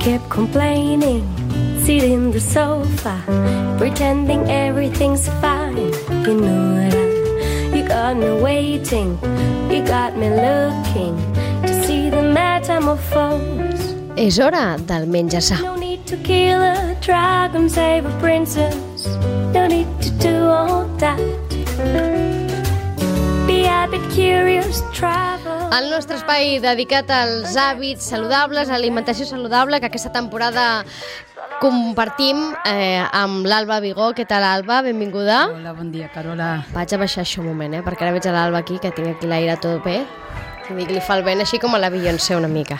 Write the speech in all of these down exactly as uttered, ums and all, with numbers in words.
kept complaining, sitting in the sofa, pretending everything's fine. You know that you got me waiting, you got me looking to see the metamorphose. És hora del menjar-sa. No need to kill a dragon, save a princess. No need to do all that. Be a bit curious, travel. El nostre espai dedicat als hàbits saludables, a l'alimentació saludable, que aquesta temporada compartim eh, amb l'Alba Vigó. Què tal, Alba? Benvinguda. Hola, bon dia, Carola. Vaig a baixar això un moment, eh? Perquè ara veig a l'Alba aquí, que tinc aquí l'aire tot bé. I dic, li fa el vent així com a la Beyoncé una mica.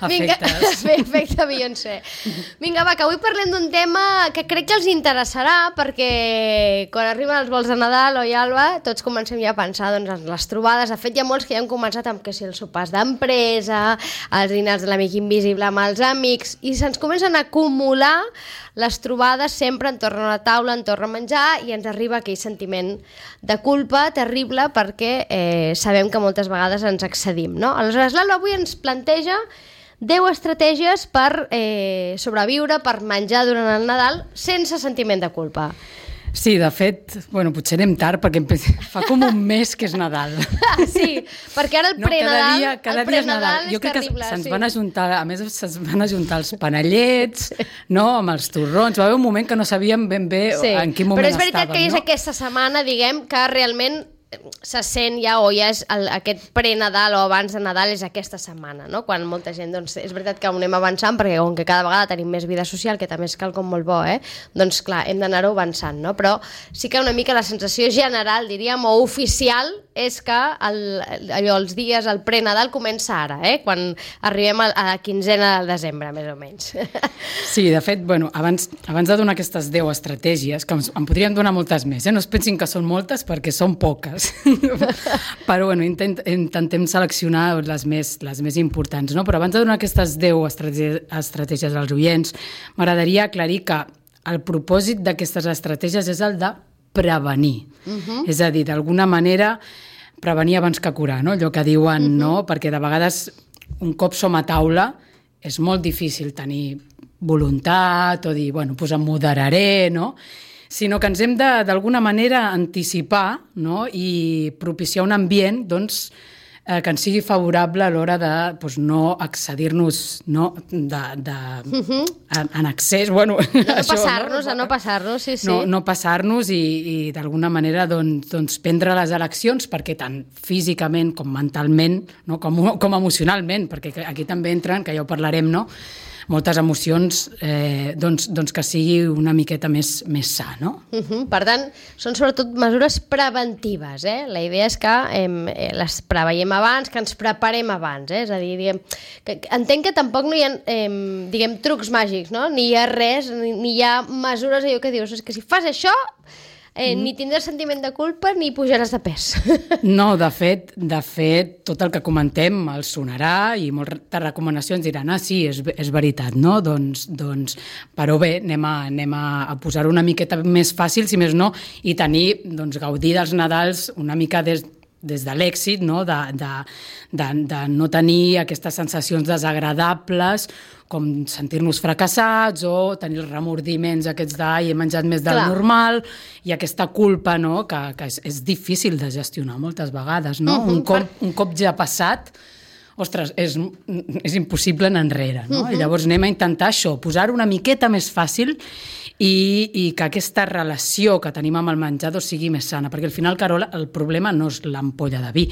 Vinga, bé, efecte Beyoncé. Vinga, va, que avui parlem d'un tema que crec que els interessarà, perquè quan arriben els vols de Nadal, oi, Alba, tots comencem ja a pensar doncs, en les trobades. De fet, hi ha molts que ja han començat amb que si els sopars d'empresa, els dinars de l'amic invisible amb els amics, i se'ns comencen a acumular les trobades sempre entorn a la taula, entorn a menjar, i ens arriba aquell sentiment de culpa terrible perquè eh, sabem que moltes vegades ens excedim, no? Aleshores, l'Alba avui ens planteja deu estratègies per eh, sobreviure, per menjar durant el Nadal sense sentiment de culpa. Sí, de fet, bueno, potser anem tard perquè fa com un mes que és Nadal. Sí, perquè ara el no, pre-Nadal, cada dia, cada el pre-Nadal és, jo crec terrible. Que se'ns sí. van ajuntar, a més se'ns van ajuntar els panellets, no, amb els torrons. Va haver un moment que no sabíem ben bé sí. en quin moment estàvem. Però és veritat estàvem, que és no? aquesta setmana, diguem, que realment se sent ja, o ja és el, aquest pre-Nadal o abans de Nadal és aquesta setmana, no? Quan molta gent, doncs, és veritat que ho anem avançant perquè com que cada vegada tenim més vida social, que també és quelcom molt bo, eh? Doncs clar, hem d'anar-ho avançant, no? Però sí que una mica la sensació general, diríem, o oficial, és que el, allò, els dies, el pre-Nadal comença ara, eh? Quan arribem a, a la quinzena de desembre, més o menys. Sí, de fet, bueno, abans, abans de donar aquestes deu estratègies, que en podríem donar moltes més, eh? No es pensin que són moltes perquè són poques. Però bueno, intent, intentem seleccionar les més, les més importants, no? Però abans de donar aquestes deu estratègies, estratègies als oients, m'agradaria aclarir que el propòsit d'aquestes estratègies és el de prevenir. Uh-huh. És a dir, d'alguna manera, prevenir abans que curar, no? Allò que diuen, uh-huh. no? Perquè de vegades, un cop som a taula, és molt difícil tenir voluntat o dir, bueno, doncs em moderaré, no? Sinó que ens hem de, d'alguna manera, anticipar, no? I propiciar un ambient, doncs, eh, que ens sigui favorable a l'hora de doncs, no excedir-nos, no? De, de, uh-huh. en, en excés, bueno... De no això, passar-nos, no? de no passar-nos, sí, sí. No, no passar-nos i, i d'alguna manera, doncs, doncs, prendre les eleccions, perquè tant físicament com mentalment, no? com, com emocionalment, perquè aquí també entren, que ja ho parlarem, no? Moltes emocions, eh, doncs, doncs que sigui una miqueta més, més sa, no? Uh-huh. Per tant, són sobretot mesures preventives, eh? La idea és que eh, les preveiem abans, que ens preparem abans, eh? És a dir, diguem, que, entenc que tampoc no hi ha, eh, diguem, trucs màgics, no? Ni hi ha res, ni, ni hi ha mesures, allò que dius, és que si fas això... Eh, mm. Ni tindràs sentiment de culpa ni pujaràs de pes. No, de fet, de fet, tot el que comentem els sonarà i moltes recomanacions diran, ah, sí, és, és veritat, no? Doncs, doncs, però bé, anem a, anem a posar-ho una miqueta més fàcil, si més no, i tenir, doncs, gaudir dels Nadals una mica des, des de l'èxit, no? De, de, de, de no tenir aquestes sensacions desagradables, com sentir-nos fracassats o tenir els remordiments aquests d'ai, he menjat més del Clar. normal, i aquesta culpa, no? que, que és, és difícil de gestionar moltes vegades. No? Uh-huh. un, cop, un cop ja passat, ostres, és, és impossible anar enrere. No? Uh-huh. I llavors anem a intentar això, posar-ho una miqueta més fàcil i, i que aquesta relació que tenim amb el menjador sigui més sana, perquè al final, Carola, el problema no és l'ampolla de vi,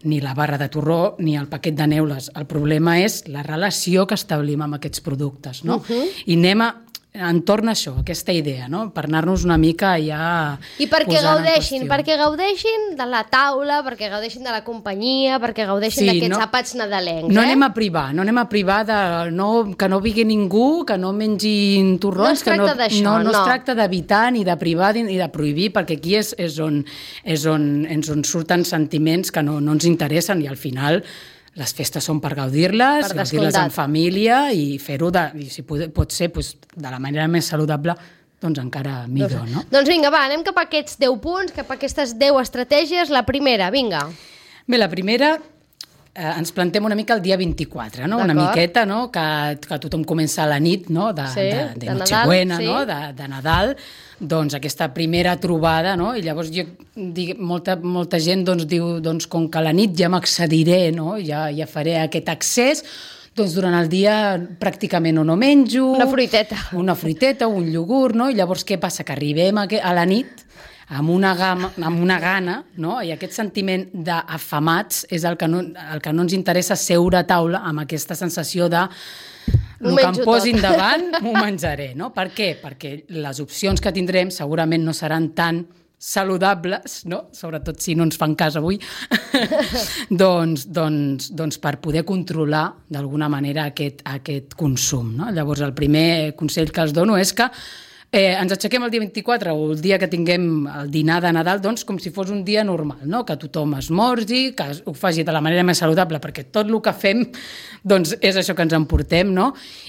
ni la barra de torró, ni el paquet de neules. El problema és la relació que establim amb aquests productes, no? Uh-huh. I anem a, entorn a això, aquesta idea, no? Per anar-nos una mica ja I perquè gaudeixin, perquè gaudeixin de la taula, perquè gaudeixin de la companyia, perquè gaudeixin sí, d'aquests no, àpats nadalencs. No eh? anem a privar, no anem a privar de no, que no vingui ningú, que no mengin torrons, no que no, no, no, no es tracta d'evitar ni de privar ni de prohibir, perquè aquí és, és, on, és on, és on surten sentiments que no, no ens interessen i al final les festes són per gaudir-les, per gaudir-les en família i fer-ho, de, i si pot, pot ser doncs, de la manera més saludable, doncs encara millor, no? Doncs vinga, va, anem cap a aquests deu punts, cap a aquestes deu estratègies. La primera, vinga. Bé, la primera eh, ens plantem una mica el dia vint-i-quatre, no? Una miqueta, no? Que, que tothom comença a la nit, no? De, sí, de, de, de Nochebuena, sí. no? De, de Nadal, doncs aquesta primera trobada, no? I llavors jo dic, molta, molta gent doncs, diu, doncs, com que a la nit ja m'accediré, no? Ja, ja faré aquest accés, doncs durant el dia pràcticament o no menjo... Una fruiteta. Una fruiteta, un iogurt, no? I llavors què passa? Que arribem a, a la nit amb una, gama, amb una gana, no? I aquest sentiment d'afamats és el que, no, el que no ens interessa seure a taula amb aquesta sensació de el que em posin tot davant m'ho menjaré, no? Per què? Perquè les opcions que tindrem segurament no seran tan saludables, no? Sobretot si no ens fan cas avui, doncs, doncs, doncs per poder controlar d'alguna manera aquest, aquest consum, no? Llavors el primer consell que els dono és que Eh, ens aixequem el dia vint-i-quatre o el dia que tinguem el dinar de Nadal, doncs com si fos un dia normal, no? Que tothom esmorzi, que ho faci de la manera més saludable, perquè tot el que fem doncs, és això que ens emportem, no?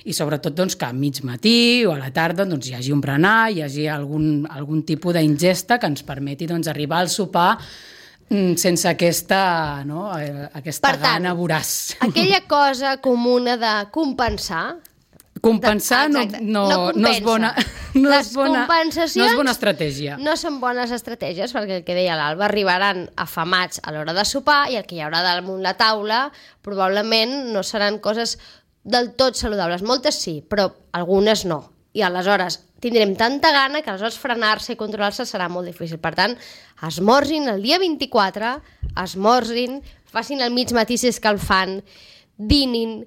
I sobretot doncs, que a mig matí o a la tarda doncs, hi hagi un berenar, hi hagi algun, algun tipus d'ingesta que ens permeti doncs, arribar al sopar sense aquesta, no? aquesta per tant, gana voraç. Aquella cosa comuna de compensar... Compensar no, no, no, no és bona, no les és bona, compensacions no és bona estratègia. No són bones estratègies, perquè el que deia l'Alba, arribaran afamats a l'hora de sopar i el que hi haurà damunt la taula probablement no seran coses del tot saludables. Moltes sí, però algunes no. I aleshores tindrem tanta gana que aleshores frenar-se i controlar-se serà molt difícil. Per tant, esmorzin el dia vint-i-quatre, esmorzin, facin el mig matí si és que el fan, dinin,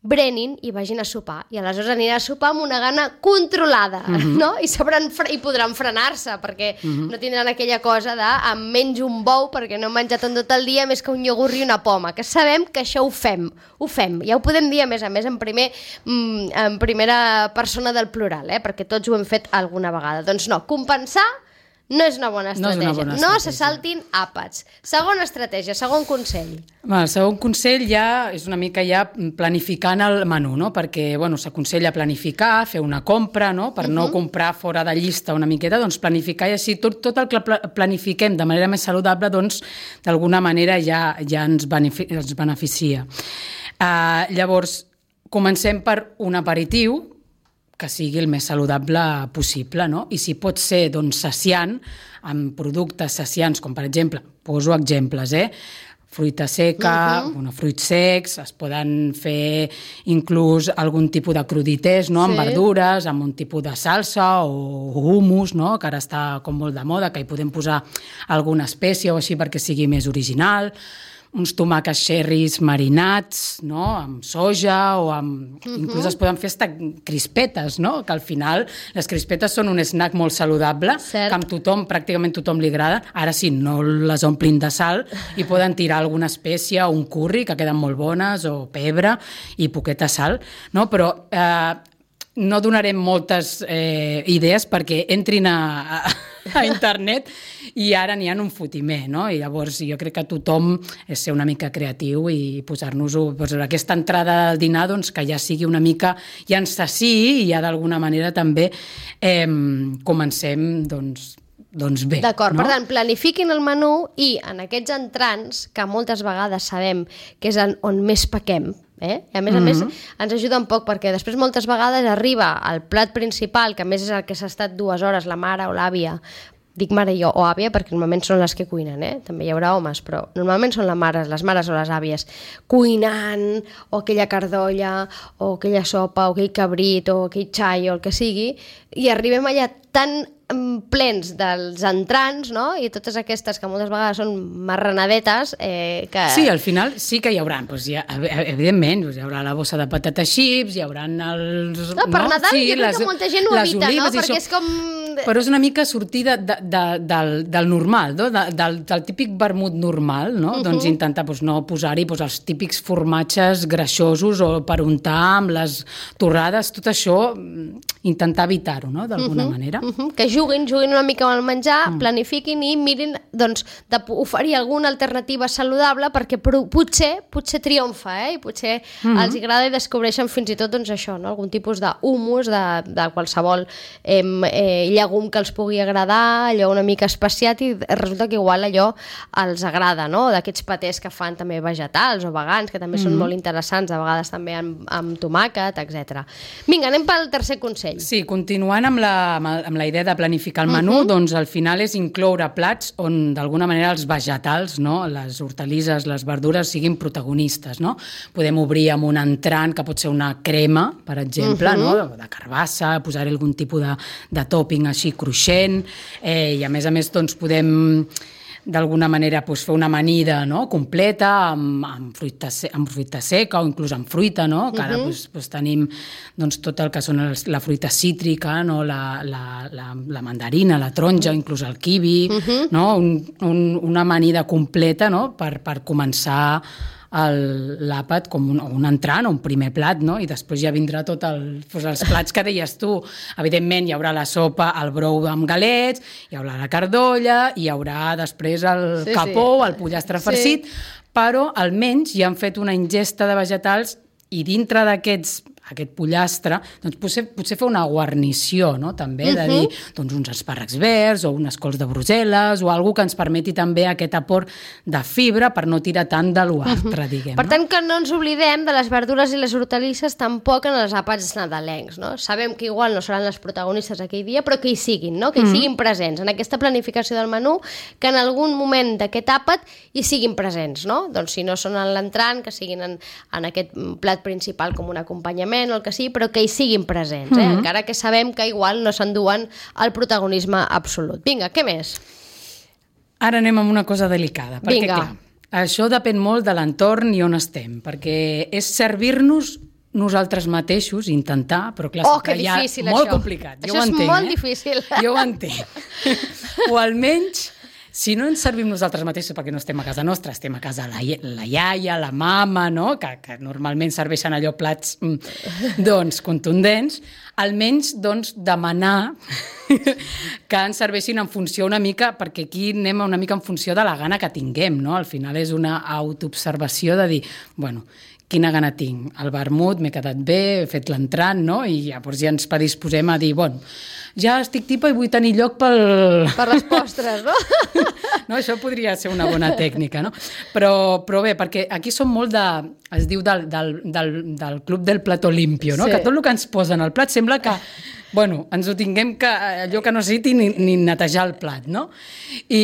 brenin i vagin a sopar. I aleshores anirà a sopar amb una gana controlada, uh-huh. no? I, sabran fre- i podran frenar-se, perquè uh-huh. no tindran aquella cosa de em menjo un bou perquè no he menjat en tot el dia més que un iogurt i una poma, que sabem que això ho fem, ho fem. Ja ho podem dir, a més a més, en, primer, en primera persona del plural, eh? Perquè tots ho hem fet alguna vegada. Doncs no, compensar no és una bona estratègia. No, bona estratègia. No se saltin àpats. Segona estratègia, segon consell. Va, el segon consell ja és una mica ja planificant el menú, no? Perquè bueno, s'aconsella planificar, fer una compra, no? Per uh-huh. no comprar fora de llista una miqueta, doncs planificar i així tot, tot el que planifiquem de manera més saludable, doncs d'alguna manera ja, ja ens, benefic- ens beneficia. Uh, llavors, comencem per un aperitiu, que sigui el més saludable possible, no? I si pot ser, doncs, saciant, amb productes saciants, com per exemple, poso exemples, eh? Fruita seca, uh-huh. bueno, fruits secs, es poden fer inclús algun tipus de crudités, no? Sí. Amb verdures, amb un tipus de salsa o hummus, no? Que ara està com molt de moda, que hi podem posar alguna espècie o així perquè sigui més original, uns tomàquets cherries marinats, no? Amb soja o amb... Uh-huh. Inclús es poden fer hasta crispetes, no? Que al final les crispetes són un snack molt saludable, cert. Que amb tothom, pràcticament tothom li agrada. Ara sí, no les omplin de sal i poden tirar alguna espècie o un curri, que queden molt bones, o pebre i poqueta sal, no? Però... Eh, no donarem moltes eh, idees perquè entrin a, a, a internet i ara n'hi ha un fotimer, no? I llavors jo crec que tothom és ser una mica creatiu i posar-nos-ho, doncs, aquesta entrada al dinar doncs, que ja sigui una mica, ja ens saciï i ja d'alguna manera també eh, comencem doncs, doncs bé. D'acord, no? Per tant, planifiquin el menú i en aquests entrants, que moltes vegades sabem que és on més pequem, eh? I a més a més mm-hmm. ens ajuda un poc perquè després moltes vegades arriba el plat principal, que a més és el que s'ha estat dues hores la mare o l'àvia, dic mare jo o àvia perquè normalment són les que cuinen, eh? També hi haurà homes, però normalment són les mares, les mares o les àvies cuinant, o aquella cardolla o aquella sopa, o aquell cabrit o aquell xai o el que sigui, i arribem allà tan plens dels entrants, no? I totes aquestes que moltes vegades són marranadetes eh, que... Sí, al final sí que hi haurà, doncs hi ha, evidentment, doncs hi haurà la bossa de patata chips, hi haurà els... No, per no? Nadal sí, jo crec les, que molta gent ho evita, no? Perquè és com... Però és una mica sortir de, de, de, del, del normal, no? de, del, del típic vermut normal, no? Uh-huh. Doncs intentar doncs, no posar-hi doncs, els típics formatges greixosos o per untar amb les torrades, tot això intentar evitar-ho, no? D'alguna uh-huh. manera. Uh-huh. Que juguin, juguin una mica amb el menjar, uh-huh. planifiquin i mirin doncs, d'oferir alguna alternativa saludable perquè potser, potser triomfa, eh? I potser uh-huh. els agrada i descobreixen fins i tot doncs, això, no? Algun tipus d'humus de, de qualsevol eh, eh, llegum llegum que els pugui agradar, allò una mica especiat, i resulta que igual allò els agrada, no? D'aquests patés que fan també vegetals o vegans, que també mm-hmm. són molt interessants, a vegades també amb, amb tomàquet, etcètera. Vinga, anem pel tercer consell. Sí, continuant amb la, amb la idea de planificar el menú, mm-hmm. doncs al final és incloure plats on d'alguna manera els vegetals, no? Les hortalisses, les verdures siguin protagonistes, no? Podem obrir amb un entrant que pot ser una crema, per exemple, mm-hmm. no? De carbassa, posar algun tipus de, de tòping així cruixent, eh, i a més a més doncs podem d'alguna manera doncs, fer una amanida, no? Completa amb, amb, fruita, amb fruita seca o inclús amb fruita, no? Que ara uh-huh. doncs, doncs, tenim doncs, tot el que són els, la fruita cítrica, no? la, la, la, la mandarina, la taronja, inclús el kiwi, uh-huh. no? un, un, una amanida completa, no? per, per començar l'àpat com un, un entrant o un primer plat, no? I després ja vindrà tot el, doncs els plats que deies tu. Evidentment hi haurà la sopa, el brou amb galets, hi haurà la cardolla, hi haurà després el sí, capó, sí. el pollastre farcit, sí. però almenys ja han fet una ingesta de vegetals i dintre d'aquests aquest pollastre, doncs potser, potser fer una guarnició, no? També, uh-huh. de dir doncs, uns espàrrecs verds o unes cols de Brussel·les o alguna que ens permeti també aquest aport de fibra per no tirar tant de l'altre, uh-huh. diguem. Per no? tant, que no ens oblidem de les verdures i les hortalisses tampoc en els àpats nadalencs, no? Sabem que igual no seran les protagonistes aquell dia, però que hi siguin, no? Que hi uh-huh. siguin presents en aquesta planificació del menú, que en algun moment d'aquest àpat hi siguin presents, no? Doncs si no són en l'entrant, que siguin en, en aquest plat principal com un acompanyament, o el que sigui, però que hi siguin presents, eh? Mm-hmm. Encara que sabem que igual no s'enduen el protagonisme absolut. Vinga, què més? Ara anem amb una cosa delicada, perquè Vinga. clar, això depèn molt de l'entorn i on estem, perquè és servir-nos nosaltres mateixos, intentar, però clar, oh, que que ja difícil, molt això. complicat. Jo això ho entenc, és molt eh? difícil. Jo ho entenc. O almenys, si no ens servim nosaltres mateixos perquè no estem a casa nostra, estem a casa la, la iaia, la mama, no? que, que normalment serveixen allò plats mm, doncs, contundents, almenys doncs, demanar que ens serveixin en funció una mica, perquè aquí anem una mica en funció de la gana que tinguem, no? Al final és una autoobservació de dir, bueno, quina gana tinc, el vermut, m'he quedat bé, he fet l'entrant, no? I llavors ja ens predisposem a dir, bueno, ja estic tipa i vull tenir lloc pel... Per les postres, no? No, això podria ser una bona tècnica, no? Però, però bé, perquè aquí som molt de... Es diu del, del, del, del club del plató limpio, no? Sí. Que tot el que ens posen al plat sembla que... Bueno, ens ho tinguem que... allò que no necessiti ni, ni netejar el plat, no? I,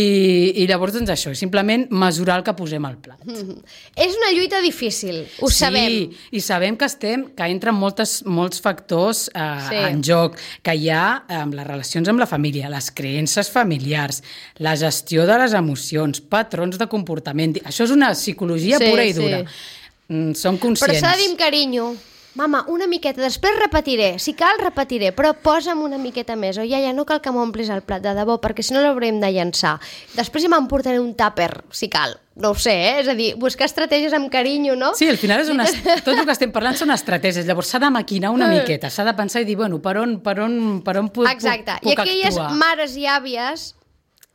i llavors, doncs això, simplement mesurar el que posem al plat. Mm-hmm. És una lluita difícil, ho sí, sabem. Sí, i sabem que estem, que entren moltes, molts factors eh, sí. en joc, que hi ha amb les relacions amb la família, les creences familiars, la gestió de les emocions, patrons de comportament. Això és una psicologia sí, pura i dura. Sí. Mm, som conscients. Però s'ha de dir amb carinyo. Mama, una miqueta, després repetiré, si cal repetiré, però posa'm una miqueta més, o iaia, no cal que m'omplis el plat, de debò, perquè si no l'haurem de llançar. Després ja m'emportaré un tàper, si cal. No ho sé, eh? És a dir, buscar estratègies amb carinyo, no? Sí, al final és una... tot el que estem parlant són estratègies, llavors s'ha de maquinar una miqueta, s'ha de pensar i dir, bueno, per on, per on, per on puc, Exacte. puc, puc I aquelles actuar? mares i àvies,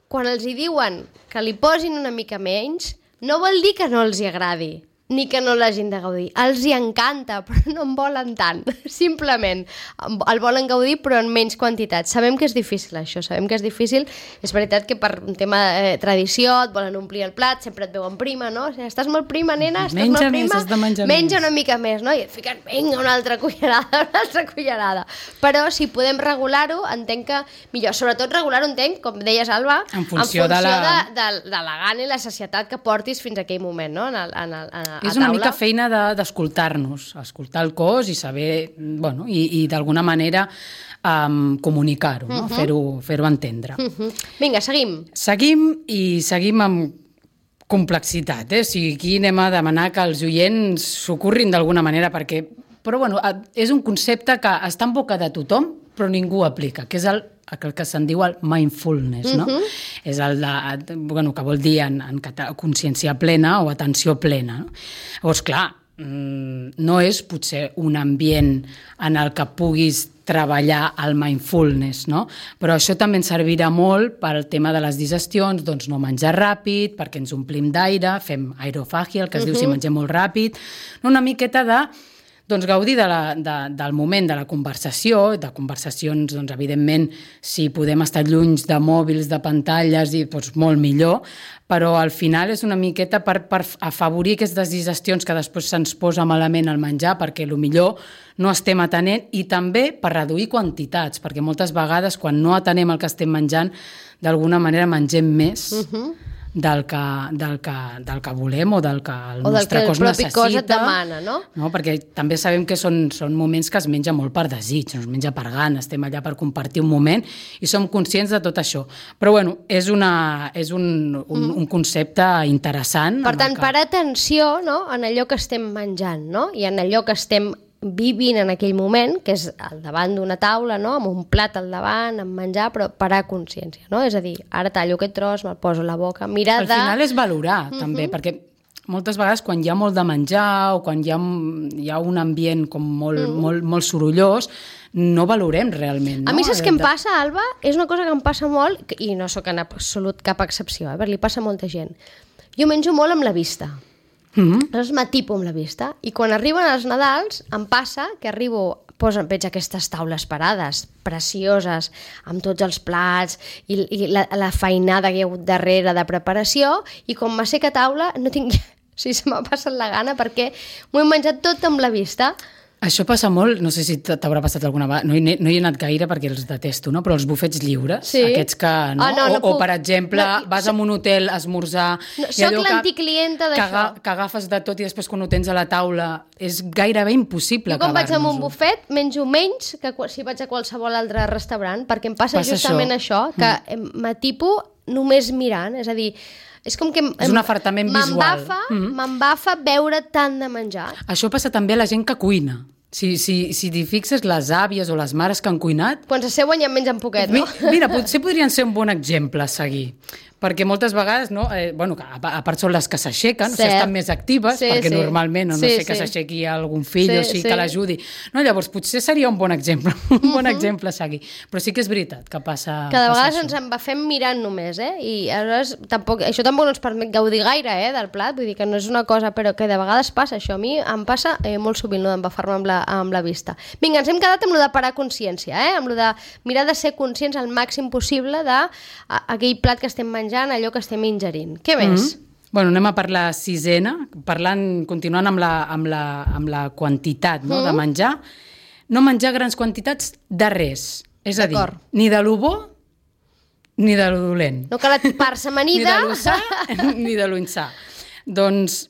quan els hi diuen que li posin una mica menys, no vol dir que no els hi agradi, ni que no l'hagin de gaudir. Els hi encanta, però no en volen tant. Simplement, el volen gaudir, però en menys quantitat. Sabem que és difícil, això, sabem que és difícil. És veritat que per un tema de eh, tradició et volen omplir el plat, sempre et veuen prima, no? O sigui, estàs molt prima, nena? Estàs menja molt prima? Més, has de menjar menja més. Una mica més, no? I et fiquen, vinga, una altra cullerada, una altra cullerada. Però si podem regular-ho, entenc que millor. Sobretot regular-ho, entenc, com deies, Alba, en funció, en funció de, la... de, de, de la gana i la societat que portis fins a aquell moment, no? En el, en el, en és una mica feina d'escoltar-nos, de, escoltar el cos i saber, bueno, i, i d'alguna manera um, comunicar-ho, no? Uh-huh. fer-ho fer-ho entendre. Uh-huh. Vinga, seguim. Seguim i seguim amb complexitat, eh? O sigui, aquí anem a demanar que els oients s'ocorrin d'alguna manera, perquè, però bueno, és un concepte que està en boca de tothom, però ningú aplica, que és el el que se'n diu el mindfulness, no? Uh-huh. És el de, bueno, que vol dir en, en consciència plena o atenció plena, no? Llavors, clar, no és potser un ambient en el que puguis treballar el mindfulness, no? Però això també ens servirà molt pel tema de les digestions, doncs no menjar ràpid, perquè ens omplim d'aire, fem aerofàgia, el que es uh-huh. diu si mengem molt ràpid, una miqueta de doncs, gaudir de la, de, del moment de la conversació, de conversacions, doncs, evidentment, si podem estar lluny de mòbils, de pantalles, i, doncs, molt millor, però al final és una miqueta per, per afavorir aquestes digestions que després se'ns posa malament al menjar, perquè potser no estem atenent, i també per reduir quantitats, perquè moltes vegades quan no atenem el que estem menjant, d'alguna manera mengem més uh-huh. del, que, del, que, del que volem o del que el o nostre cos necessita. O del que el propi cos et demana, no? no? Perquè també sabem que són, són moments que es menja molt per desig, no es menja per gana, estem allà per compartir un moment i som conscients de tot això. Però bueno, és, una, és un, un, mm. un concepte interessant. Per tant, que... parar atenció, no?, en allò que estem menjant, no?, i en allò que estem vivint en aquell moment, que és al davant d'una taula, no?, amb un plat al davant, amb menjar, però parar consciència, no? És a dir, ara tallo aquest tros, me'l poso a la boca, mirar de... Al final és valorar, uh-huh. també, perquè moltes vegades quan hi ha molt de menjar o quan hi ha, hi ha un ambient com molt, mm. molt, molt sorollós, no valorem realment. No? A mi saps què em passa, Alba? És una cosa que em passa molt, i no sóc en absolut cap excepció, eh? Perquè li passa a molta gent. Jo menjo molt amb la vista. Mm-hmm. Aleshores m'atipo amb la vista, i quan arriben els Nadals em passa que arribo, posen, veig aquestes taules parades precioses, amb tots els plats i, i la, la feinada que hi ha hagut darrere de preparació, i quan m'asseca taula no tinc... O sigui, se m'ha passat la gana perquè m'ho he menjat tot amb la vista. Això passa molt, no sé si t'haurà passat alguna vegada, no hi, no hi he anat gaire perquè els detesto, no? Però els bufets lliures, sí. aquests que... No? Ah, no, no o, puc... o, per exemple, no, vas so... a un hotel a esmorzar... No, soc l'anticlienta d'això. Que, que, que agafes de tot i després quan ho tens a la taula és gairebé impossible acabar-nos-ho. Jo quan vaig a un bufet menjo menys que si vaig a qualsevol altre restaurant, perquè em passa, passa justament això, això que mm. m'atipo només mirant, és a dir... És com que és un afartament visual. M'embafa mm-hmm. veure tant de menjar. Això passa també a la gent que cuina. Si, si, si t'hi fixes, les àvies o les mares que han cuinat... Quan s'asseuen ja en mengen poquet, no? Mira, potser podrien ser un bon exemple a seguir. Perquè moltes vegades, no, eh, bueno, a, a part són les que s'aixequen, o sigui, estan més actives, sí, perquè sí. normalment, no, no sí, sé, que sí. s'aixequi algun fill sí, o sigui, sí. que l'ajudi. No, llavors, potser seria un bon exemple, un bon uh-huh. exemple a seguir. Però sí que és veritat que passa que de vegades això. Ens embafem mirant només, eh? I aleshores, tampoc, això tampoc no ens permet gaudir gaire, eh, del plat, vull dir que no és una cosa, però que de vegades passa això. A mi em passa eh, molt sovint, no, d'embafar-me amb, la, amb la vista. Vinga, ens hem quedat amb lo de parar consciència, eh? Amb lo de mirar de ser conscients al màxim possible d'aquell plat que estem menjant, allò que estem ingerint. Què més? Mm-hmm. Bueno, anem a per la sisena, parlant, continuant amb la, amb la, amb la quantitat no, mm. de menjar. No menjar grans quantitats de res. És a dir, ni de lo bo ni de lo dolent. No cal atipar-se amanida. Ni de lo sa ni de lo insà. Doncs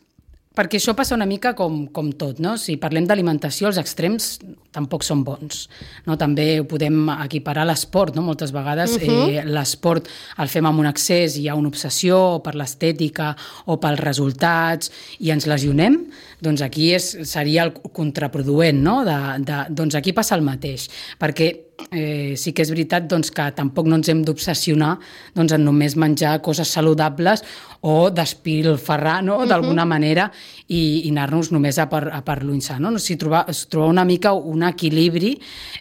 perquè això passa una mica com, com tot, no? Si parlem d'alimentació, els extrems tampoc són bons, no? També ho podem equiparar a l'esport, no? Moltes vegades uh-huh. eh, l'esport el fem amb un excés, hi ha una obsessió per l'estètica o pels resultats i ens lesionem, doncs aquí és, seria el contraproduent, no? De, de, doncs aquí passa el mateix, perquè eh, sí que és veritat doncs, que tampoc no ens hem d'obsessionar doncs, en només menjar coses saludables o despilfarrar, no? D'alguna uh-huh. manera i, i anar-nos només a per, a per l'unsà, no? O sigui, trobar, trobar una mica un equilibri,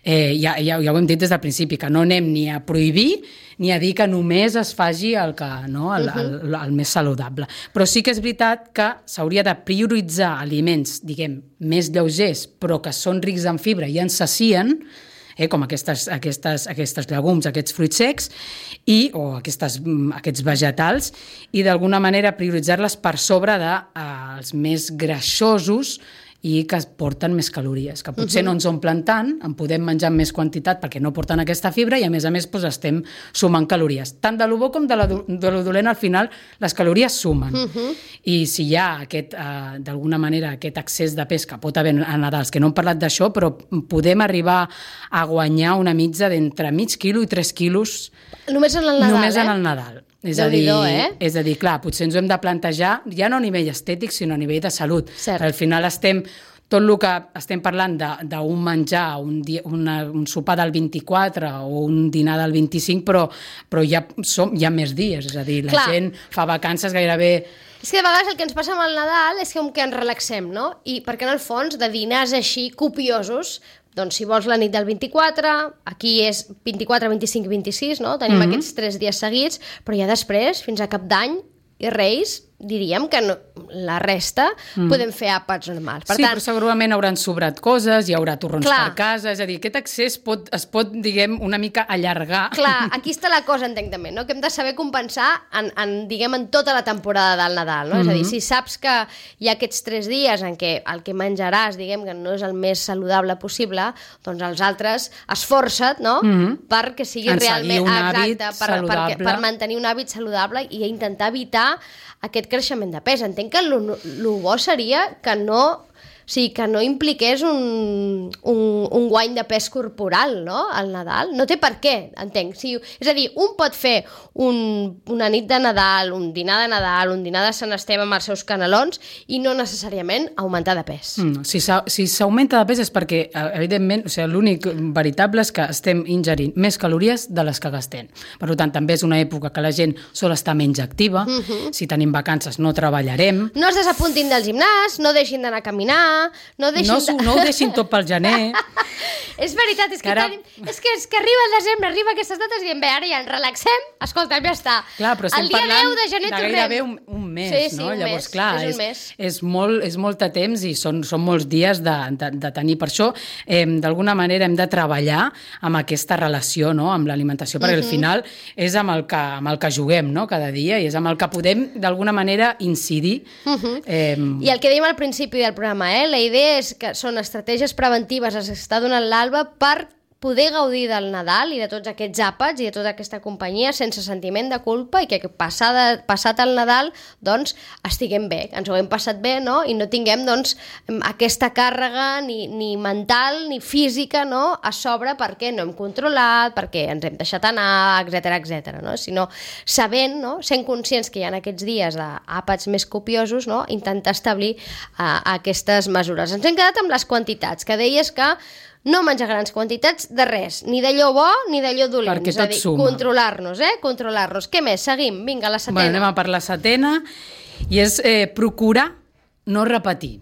eh, ja, ja, ja ho hem dit des del principi, que no anem ni a prohibir ni a dir que només es faci el, que, no? el, el, el, el més saludable. Però sí que és veritat que s'hauria de prioritzar aliments, diguem, més lleugers, però que són rics en fibra i ens sacien, eh, com aquestes, aquestes, aquestes llegums, aquests fruits secs, i, o aquestes, aquests vegetals, i d'alguna manera prioritzar-les per sobre dels eh, més greixosos i que porten més calories, que potser uh-huh. no ens omplen tant, en podem menjar en més quantitat perquè no porten aquesta fibra i a més a més doncs, estem sumant calories. Tant de lo bo com de, la, de lo dolent, al final les calories sumen. Uh-huh. I si hi ha aquest, eh, d'alguna manera aquest excés de pes que pot haver a Nadals, que no hem parlat d'això, però podem arribar a guanyar una mitja d'entre mig quilo i tres quilos només en el Nadal, només eh? en el Nadal. És a, dir, eh? és a dir, clar, potser ens ho hem de plantejar ja no a nivell estètic, sinó a nivell de salut. Cert. Al final estem, tot el que estem parlant d'un menjar, un, dia, una, un sopar del vint-i-quatre o un dinar del vint-i-cinc, però, però ja, som, hi ha més dies, és a dir, la clar. gent fa vacances gairebé... És que de vegades el que ens passa amb el Nadal és com que ens relaxem, no? I perquè en el fons de dinars així copiosos, doncs si vols la nit del vint-i-quatre, aquí és vint-i-quatre, vint-i-cinc, vint-i-sis, no? Tenim mm-hmm. aquests tres dies seguits, però ja després, fins a Cap d'Any i Reis, diríem que no, la resta mm. podem fer àpats normals. Per sí, tant, però segurament hauran sobrat coses, hi haurà torrons clar, per casa, és a dir, aquest accés pot, es pot, diguem, una mica allargar. Clar, aquí està la cosa, entenc també, no? Que hem de saber compensar en, en, diguem, en tota la temporada del Nadal, no? Mm-hmm. És a dir, si saps que hi ha aquests tres dies en què el que menjaràs, diguem, que no és el més saludable possible, doncs els altres esforça't, no? Mm-hmm. Perquè sigui en realment... un hàbit exacte, per, saludable. Per, per mantenir un hàbit saludable i intentar evitar aquest creixement de pes. Entenc que el bo seria que no... O sigui, que no impliqués un, un, un guany de pes corporal, no?, al Nadal. No té per què, entenc. Si, és a dir, un pot fer un, una nit de Nadal, un dinar de Nadal, un dinar de Sant Esteve amb els seus canelons i no necessàriament augmentar de pes. Mm, si s'augmenta de pes és perquè, evidentment, o sigui, l'únic veritable és que estem ingerint més calories de les que gastem. Per tant, també és una època que la gent sol estar menys activa. Mm-hmm. Si tenim vacances no treballarem. No es desapuntin del gimnàs, no deixin d'anar a caminar, no, deixin no, de... no ho deixin tot pel gener. És veritat, és que, ara... tenim... és, que, és que arriba el desembre, arriba aquestes dates i diem, bé, ara ja ens relaxem, escolta'm, ja està. Clar, però estem el dia parlant deu de gener de tornem. gairebé un, un mes, sí, sí, no? un Llavors, mes. clar, és, és, un mes. és, molt, és molt de temps i són, són molts dies de, de, de tenir. Per això, eh, d'alguna manera, hem de treballar amb aquesta relació, no?, amb l'alimentació, perquè uh-huh. al final és amb el, que, amb el que juguem, no?, cada dia, i és amb el que podem, d'alguna manera, incidir. Uh-huh. eh... I el que dèiem al principi del programa, eh? La idea és que són estratègies preventives que s'està donant l'Alba per poder gaudir del Nadal i de tots aquests àpats i de tota aquesta companyia sense sentiment de culpa i que passada, passat el Nadal doncs estiguem bé, que ens ho hem passat bé, no? I no tinguem doncs aquesta càrrega ni, ni mental ni física, no?, a sobre perquè no hem controlat, perquè ens hem deixat anar, etcètera, etcètera, no? Sinó sabent, no?, sent conscients que hi ha aquests dies d'àpats més copiosos, no?, intentar establir uh, aquestes mesures. Ens hem quedat amb les quantitats, que deies que no menjar grans quantitats de res, ni d'allò bo ni d'allò dolent. Perquè és a tot dir, suma. Controlar-nos, eh? Controlar-nos. Què més? Seguim. Vinga, la setena. Bueno, anem a per la setena, i és eh, procurar no repetir.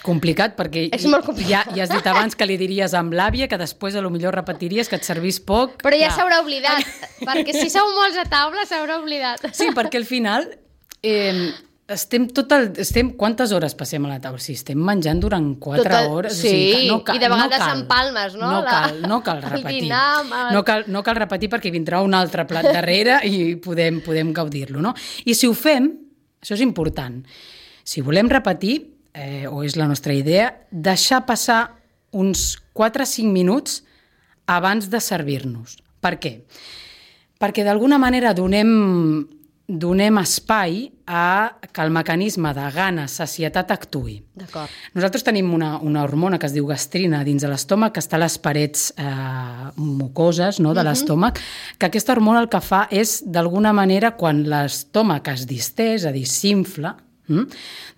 Complicat, perquè és molt complicat. Ja, ja has dit abans que li diries amb l'àvia que després a lo millor repetiries que et servís poc. Però ja clar. S'haurà oblidat, perquè si sou molts a taula s'haurà oblidat. Sí, perquè al final... Eh, Estem tot el, estem, quantes hores passem a la taula? Sí, estem menjant durant quatre Total, hores. Sí, o sigui, no cal, i de vegades no cal, empalmes, no? No la, cal, no cal repetir. Dinar, el... no, cal, no cal repetir perquè vindrà un altre plat darrere i podem, podem gaudir-lo, no? I si ho fem, això és important, si volem repetir, eh, o és la nostra idea, deixar passar uns quatre o cinc minuts abans de servir-nos. Per què? Perquè d'alguna manera donem... donem espai a que el mecanisme de gana, sacietat actuï. D'acord. Nosaltres tenim una, una hormona que es diu gastrina dins de l'estómac, que està a les parets eh, mucoses, no, de uh-huh. l'estómac, que aquesta hormona el que fa és, d'alguna manera, quan l'estómac es distès, és a dir, s'infla, Mm?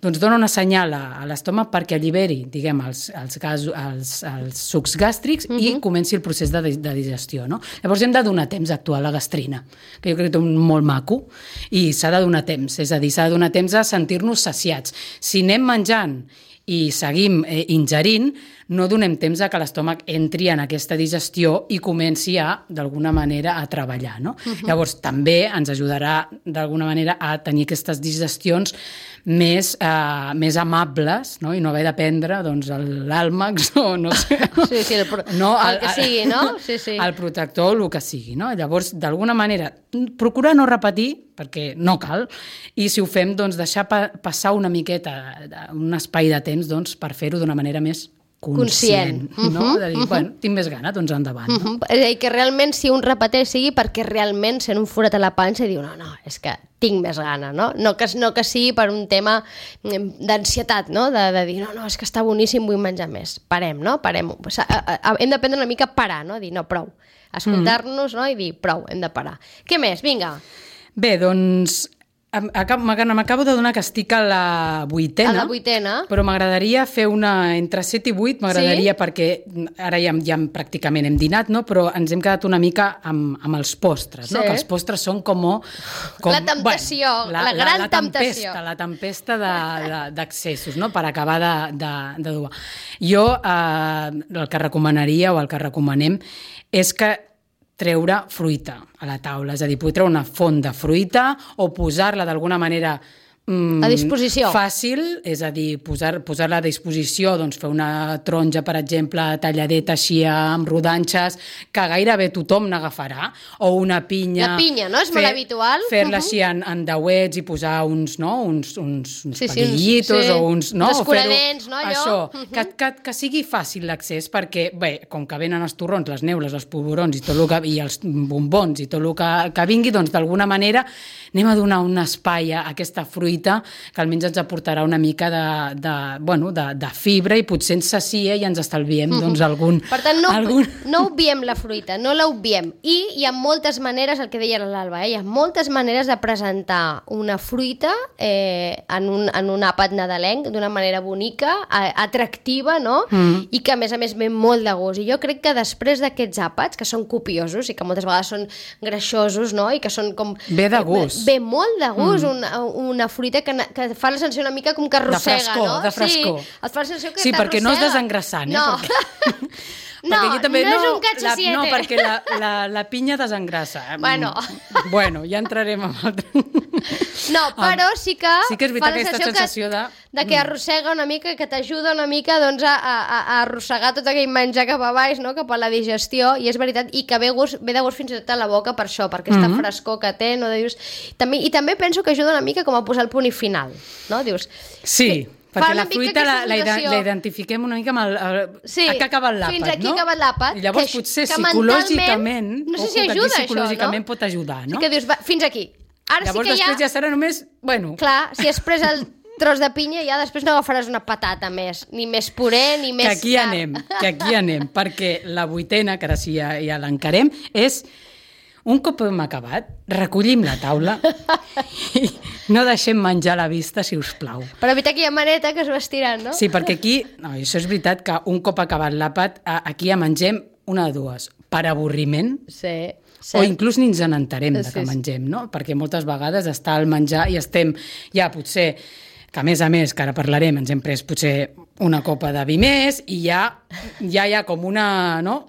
doncs dona una senyal a, a l'estómac perquè alliberi, diguem, els, els, gas, els, els sucs gàstrics uh-huh. i comenci el procés de, de digestió, no? Llavors hem de donar temps a actuar la gastrina, que jo crec que és molt maco, i s'ha de donar temps, és a dir, s'ha de donar temps a sentir-nos saciats. Si anem menjant i seguim eh, ingerint, no donem temps a que l'estómac entri en aquesta digestió i comenci a, d'alguna manera, a treballar, no? Uh-huh. Llavors, també ens ajudarà, d'alguna manera, a tenir aquestes digestions més, eh, més amables, no? I no haver de prendre, doncs, l'àlmax o no sé... Sí, sí, el, pro... no, el, el que sigui, no? Sí, sí. El protector, el que sigui, no? Llavors, d'alguna manera, procurar no repetir, perquè no cal, i si ho fem, doncs, deixar pa passar una miqueta, un espai de temps, doncs, per fer-ho d'una manera més conscient, conscient. No? Uh-huh, de dir, uh-huh. bueno, tinc més gana, doncs endavant. Uh-huh. No? És a dir, que realment si un repeteix sigui perquè realment sent un forat a la panxa i diu, no, no, és que tinc més gana, no? No que, no que sigui per un tema d'ansietat, no? De, de dir, no, no, és que està boníssim, vull menjar més. Parem, no? Parem. O sigui, hem d'aprendre una mica a parar, no? Dir, no, prou. Escoltar-nos, no? I dir, prou, hem de parar. Què més? Vinga. Bé, doncs... M'acabo de donar que estic a la vuitena, a la vuitena. Però m'agradaria fer una entre set i vuit, m'agradaria, sí? Perquè ara ja, ja pràcticament hem dinat, no? Però ens hem quedat una mica amb, amb els postres, sí. No? Que els postres són com... com la temptació, bueno, la, la gran la, la temptació. Tempesta, la tempesta d'accessos, no? Per acabar de, de, de dur. Jo eh, el que recomanaria o el que recomanem és que treure fruita a la taula, és a dir, poder treure una font de fruita o posar-la d'alguna manera a disposició. Fàcil, és a dir, posar, posar-la a disposició, doncs fer una taronja, per exemple, talladeta així amb rodanxes, que gairebé tothom n'agafarà, o una pinya... La pinya, no? És molt habitual. Fer-la uh -huh. així en, en dauets i posar uns, no? uns, uns, uns sí, palillitos sí, sí. o uns... No? Els escuradents, no? Allò. Això, uh -huh. que, que, que sigui fàcil l'accés, perquè, bé, com que venen els torrons, les neules, els polvorons i tot el que, i els bombons i tot el que, que vingui, doncs d'alguna manera anem a donar un espai a aquesta fruita que almenys ens aportarà una mica de, de, bueno, de, de fibra i potser ens sacia i ens estalviem mm-hmm. doncs, algun... Per tant, no, algun... no obviem la fruita, no la obviem. I hi ha moltes maneres, el que deia l'Alba, eh? hi ha moltes maneres de presentar una fruita eh, en, un, en un àpat nadalenc d'una manera bonica, atractiva, no? Mm. I que, a més a més, ve molt de gust. I jo crec que després d'aquests àpats, que són copiosos i que moltes vegades són greixosos, no? I que són com... Ve de gust. Ve molt de gust, mm. una, una fruita que, que fa la sensació una mica com que arrossega, de frescor, no? De frescor, sí, et fa la sensació que sí, t'arrossega. perquè no és desengrassant, eh? No, perquè... no, perquè també, no és no, un cacho siete. No, perquè la, la, la pinya desengrassa. Bueno. Bueno, ja entrarem en altre... No, però sí que, sí que és veritat, aquesta sensació que, de... de que arrossega una mica, que t'ajuda una mica doncs, a, a, a arrossegar tot aquell menjar cap a baix, no? Cap a la digestió, i és veritat, i que ve, gust, ve de gust fins i tot a la boca per això, per aquesta mm-hmm. frescor que té, no? Dius, també, i també penso que ajuda una mica com a posar el punt i final, no? Dius, sí, que, perquè la fruita la, la, la identifiquem una mica amb el, el, sí, a què ha acabat l'àpat, no? Fins aquí ha acabat l'àpat. I llavors que, potser que psicològicament, no sé si ajuda psicològicament això, no? pot ajudar, no? Sí que dius, va, fins aquí. Ara llavors sí que després ja... ja serà només, bueno... Clar, si has pres el tros de pinya ja després no agafaràs una patata més, ni més puré, ni més... Que aquí carn. anem, que aquí anem, perquè la vuitena, que ara sí ja, ja l'encarem, és un cop hem acabat, recollim la taula i no deixem menjar a la vista, si us plau. Per evitar aquella maneta que es va estirant, no? Sí, perquè aquí, no, això és veritat que un cop acabat l'àpat, aquí ja mengem una de dues, per avorriment, sí, o inclús ni ens n'entarem de que sí, sí. mengem, no? Perquè moltes vegades està al menjar i estem ja potser, que a més a més, que ara parlarem, ens hem pres potser una copa de vi més i ja, ja hi ha com una, no?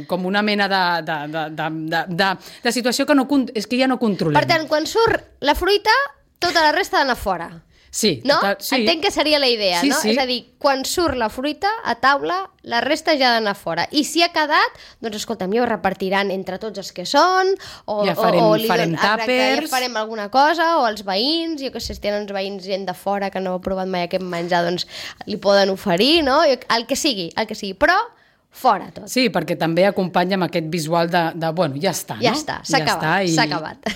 com una mena de, de, de, de, de, de, de situació que no, és que ja no controlem. Per tant, quan surt la fruita, tota la resta ha d'anar fora. Sí, no? Total, sí. Entenc que seria la idea, sí, no? Sí. És a dir, quan surt la fruita a taula, la resta ja ha d'anar fora. I si ha quedat, doncs escolta'm, ja ho repartiran entre tots els que són, o, ja farem, o, o li farem don... tàpers, ja farem alguna cosa, o els veïns, jo que sé, si tenen uns veïns gent de fora que no ha provat mai aquest menjar, doncs li poden oferir, no? El que sigui, el que sigui, però fora tot. Sí, perquè també acompanya amb aquest visual de, de bueno, ja està, ja no? Està, s'ha ja acabat, i... s'ha acabat.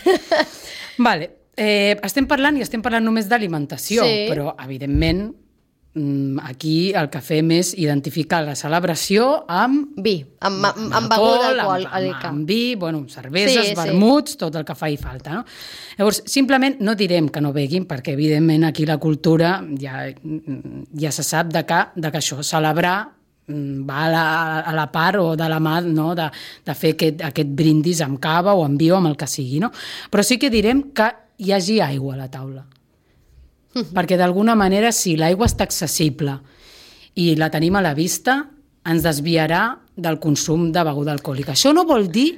Vale. Eh, estem parlant i estem parlant només d'alimentació, sí. però evidentment aquí el que fem és identificar la celebració amb vi, amb, amb, amb, amb beguda d'alcohol, amb, amb, amb vi, bueno, cerveses, sí, vermuts, sí. tot el que fa i falta, no? Llavors, simplement no direm que no beguin, perquè evidentment aquí la cultura ja, ja se sap de que, de que això, celebrar va a la, a la part o de la mà, no? de, de fer aquest, aquest brindis amb cava o amb vi o amb el que sigui, no? Però sí que direm que hi hagi aigua a la taula. Mm-hmm. Perquè d'alguna manera, si l'aigua està accessible i la tenim a la vista, ens desviarà del consum de beguda alcohòlica. Això no vol dir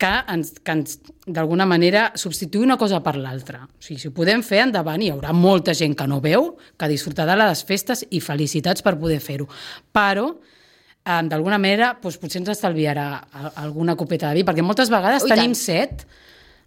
que, ens, que ens, d'alguna manera, substituir una cosa per l'altra. O sigui, si ho podem fer, endavant, hi haurà molta gent que no veu, que disfrutarà de les festes i felicitats per poder fer-ho. Però, eh, d'alguna manera, doncs, potser ens estalviarà alguna copeta de vi, perquè moltes vegades Ui, tenim tant. set,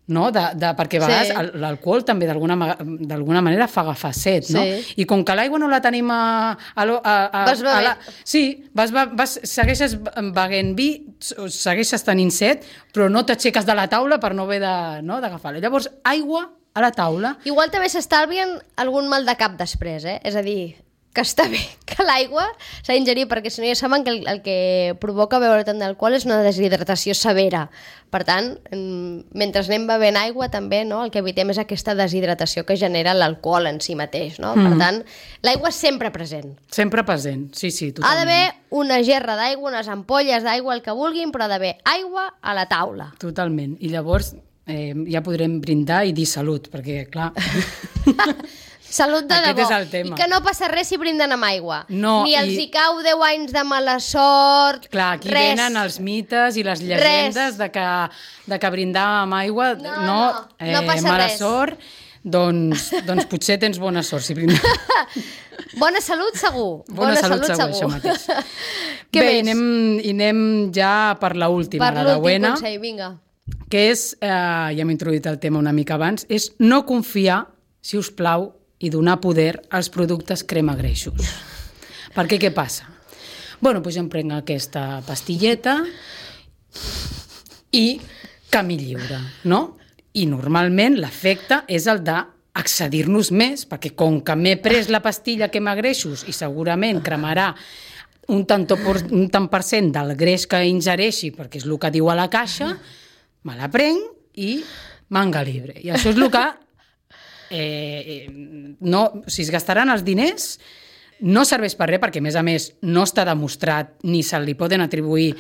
no? de, de, perquè a vegades sí. l'alcohol també d'alguna manera fa agafar set, no? Sí. I com que l'aigua no la tenim a... a, a, a vas a la, sí, vas, vas, segueixes beguent vi, segueixes tenint set, però no t'aixeques de la taula per no haver de, no, d'agafar-la. Llavors, aigua a la taula... Igual també s'estalvien algun mal de cap després, eh? És a dir, que està bé que l'aigua s'ha d'ingerir, perquè si no ja saben que el, el que provoca beure tant d'alcohol és una deshidratació severa. Per tant, mentre anem bevent aigua també, no, el que evitem és aquesta deshidratació que genera l'alcohol en si mateix, no? Mm. Per tant, l'aigua sempre present. Sempre present, sí, sí, totalment. Ha d'haver una gerra d'aigua, unes ampolles d'aigua, el que vulguin, però ha d'haver aigua a la taula. Totalment. I llavors eh, ja podrem brindar i dir salut, perquè, clar... Salut de Aquest debò. és el tema. I que no passa res si brinden amb aigua. No, Ni els i- hi cau deu anys de mala sort, Clar, aquí res. venen els mites i les llegendes de que, de que brindar amb aigua No, no, no, no passa mala res. sort, doncs, doncs potser tens bona sort si brindes. Bona salut segur. Bona, salut, segur, això mateix. Què Bé, més? i anem, i anem ja per l'última, Per la de l'últim Buena, consell, vinga. que és, eh, ja hem introduït el tema una mica abans, és no confiar, si us plau, i donar poder als productes crema greixos. Perquè què passa? Bueno, doncs jo em prenc aquesta pastilleta i camí lliure, no? I normalment l'efecte és el de accedir-nos més, perquè com que m'he pres la pastilla que m'agreixos i segurament cremarà un tant, por, un tant per cent del greix que ingereixi, perquè és el que diu a la caixa, me la prenc i manga libre. I això és el que eh, no, si es gastaran els diners, no serveix per res, perquè a més a més no està demostrat ni se li poden atribuir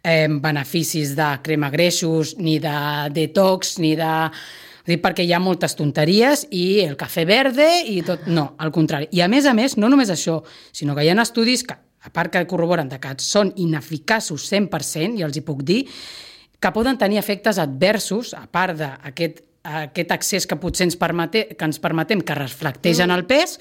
eh, beneficis de crema greixos, ni de detox, ni de... Dic perquè hi ha moltes tonteries i el cafè verde i tot... No, al contrari. I a més a més, no només això, sinó que hi ha estudis que, a part que corroboren que són ineficaços cent per cent, i els hi puc dir, que poden tenir efectes adversos, a part d'aquest aquest accés que potser ens, permete, que ens permetem que reflecteixen el pes.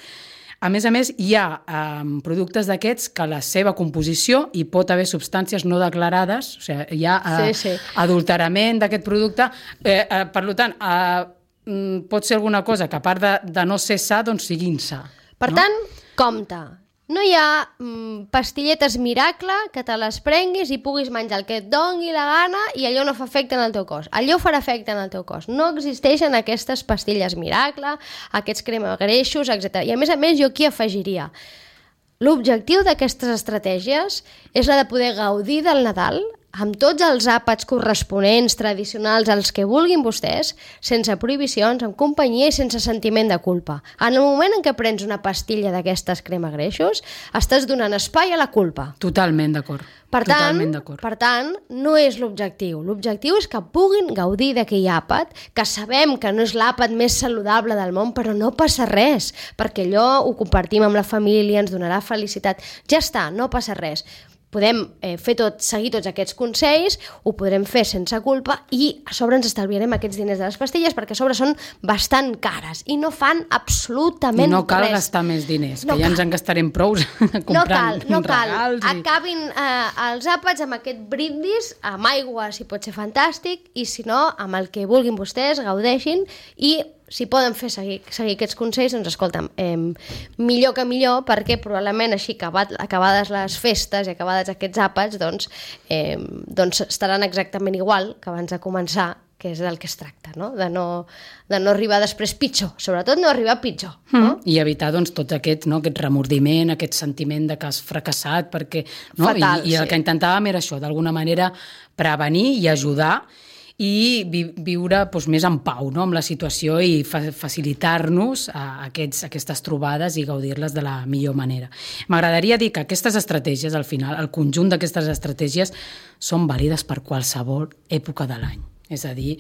A més a més, hi ha eh, productes d'aquests que la seva composició hi pot haver substàncies no declarades, o sigui, hi ha eh, Sí, sí. adulterament d'aquest producte. Eh, eh, per tant, eh, pot ser alguna cosa que a part de, de no ser sa, doncs sigui insa. Per no? tant, compte. No hi ha mm, pastilletes miracle que te les prenguis i puguis menjar el que et doni la gana i allò no fa efecte en el teu cos. Allò farà efecte en el teu cos. No existeixen aquestes pastilles miracle, aquests crema greixos, etcètera. I a més a més jo aquí afegiria l'objectiu d'aquestes estratègies és la de poder gaudir del Nadal amb tots els àpats corresponents, tradicionals, els que vulguin vostès, sense prohibicions, amb companyia i sense sentiment de culpa. En el moment en què prens una pastilla d'aquestes crema greixos, estàs donant espai a la culpa. Totalment d'acord. Per tant, Totalment d'acord. per tant, no és l'objectiu. L'objectiu és que puguin gaudir d'aquell àpat, que sabem que no és l'àpat més saludable del món, però no passa res, perquè allò ho compartim amb la família, ens donarà felicitat. Ja està, no passa res. Podem eh, fer tot, seguir tots aquests consells, ho podrem fer sense culpa i a sobre ens estalviarem aquests diners de les pastilles perquè a sobre són bastant cares i no fan absolutament I no cal res. gastar més diners, No que ja cal. ens en gastarem prou comprant No cal, no cal. regals. I... Acabin eh, els àpats amb aquest brindis, amb aigua si pot ser fantàstic, i si no, amb el que vulguin vostès, gaudeixin, i si poden fer seguir, seguir aquests consells, doncs escolta'm, eh, millor que millor, perquè probablement així, acabat, acabades les festes i acabades aquests àpats, doncs, eh, doncs estaran exactament igual que abans de començar, que és del que es tracta, no? De no, de no arribar després pitjor, sobretot no arribar pitjor. No? Mm. I evitar doncs, tot aquest, no, aquest remordiment, aquest sentiment de que has fracassat, perquè, no? Fatal, I, i el sí. que intentàvem era això, d'alguna manera prevenir i ajudar i vi viure doncs, més en pau, no? Amb la situació i fa facilitar-nos a aquests, aquestes trobades i gaudir-les de la millor manera. M'agradaria dir que aquestes estratègies, al final, el conjunt d'aquestes estratègies són vàlides per qualsevol època de l'any. És a dir,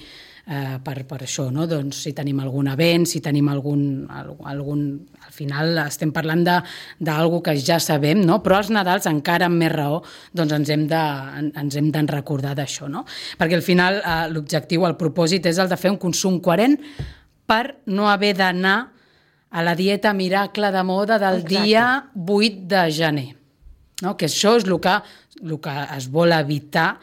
eh, per, per això, no? Doncs, si tenim algun event, si tenim algun... algun al final estem parlant d'alguna que ja sabem, no? Però als Nadals, encara amb més raó, doncs ens hem de, ens hem de recordar d'això, no? Perquè al final eh, l'objectiu, el propòsit és el de fer un consum coherent per no haver d'anar a la dieta miracle de moda del Exacte. dia vuit de gener. No? Que això és el que, el que es vol evitar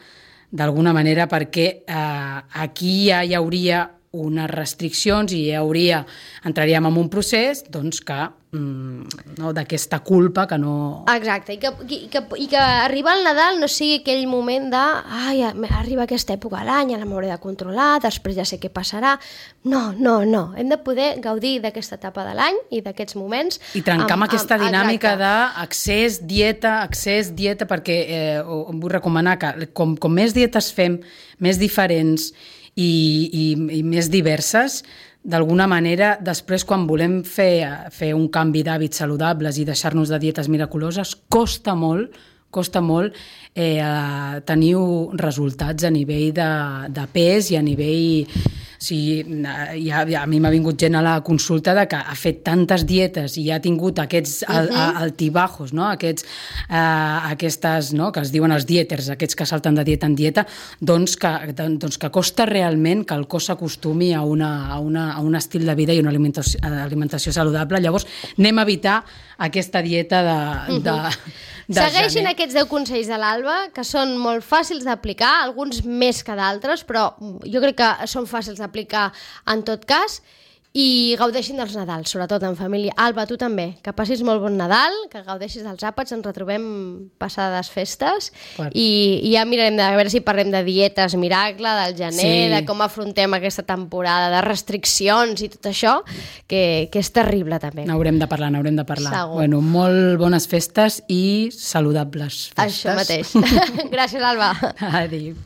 d'alguna manera, perquè eh, aquí ja hi hauria unes restriccions i hi hauria, entraríem en un procés doncs, que, mm, no, d'aquesta culpa que no... Exacte, i que, i, que, i que arribar al Nadal no sigui aquell moment de ai, arriba aquesta època de l'any, ara m'hauré de controlar, després ja sé què passarà. No, no, no, hem de poder gaudir d'aquesta etapa de l'any i d'aquests moments. I trencar amb, amb aquesta amb, dinàmica exacte. d'accés, dieta, accés, dieta, perquè eh, em vull recomanar que com, com més dietes fem, més diferents i, i, i més diverses, d'alguna manera, després quan volem fer, fer un canvi d'hàbits saludables i deixar-nos de dietes miraculoses, costa molt, costa molt eh, tenir resultats a nivell de, de pes i a nivell sigui, ja, ja, a mi m'ha vingut gent a la consulta de que ha fet tantes dietes i ha tingut aquests uh -huh. altibajos, no? Aquests, uh, aquestes, no? Que es diuen els dieters, aquests que salten de dieta en dieta, doncs que, doncs que costa realment que el cos s'acostumi a, una, a, una, a un estil de vida i una alimentació, alimentació saludable. Llavors, anem a evitar aquesta dieta de... Uh -huh. de De Segueixin gener. aquests deu consells de l'Alba, que són molt fàcils d'aplicar, alguns més que d'altres, però jo crec que són fàcils d'aplicar en tot cas, i gaudeixin dels Nadals, sobretot en família. Alba, tu també, que passis molt bon Nadal, que gaudeixis dels àpats, ens retrobem passades festes, i, i ja mirarem de a veure si parlem de dietes miracle, del gener, sí. de com afrontem aquesta temporada, de restriccions i tot això, que, que és terrible també. N'haurem de parlar, n'haurem de parlar. Segur. Bueno, molt bones festes i saludables festes. Això mateix. Gràcies, Alba. Adéu.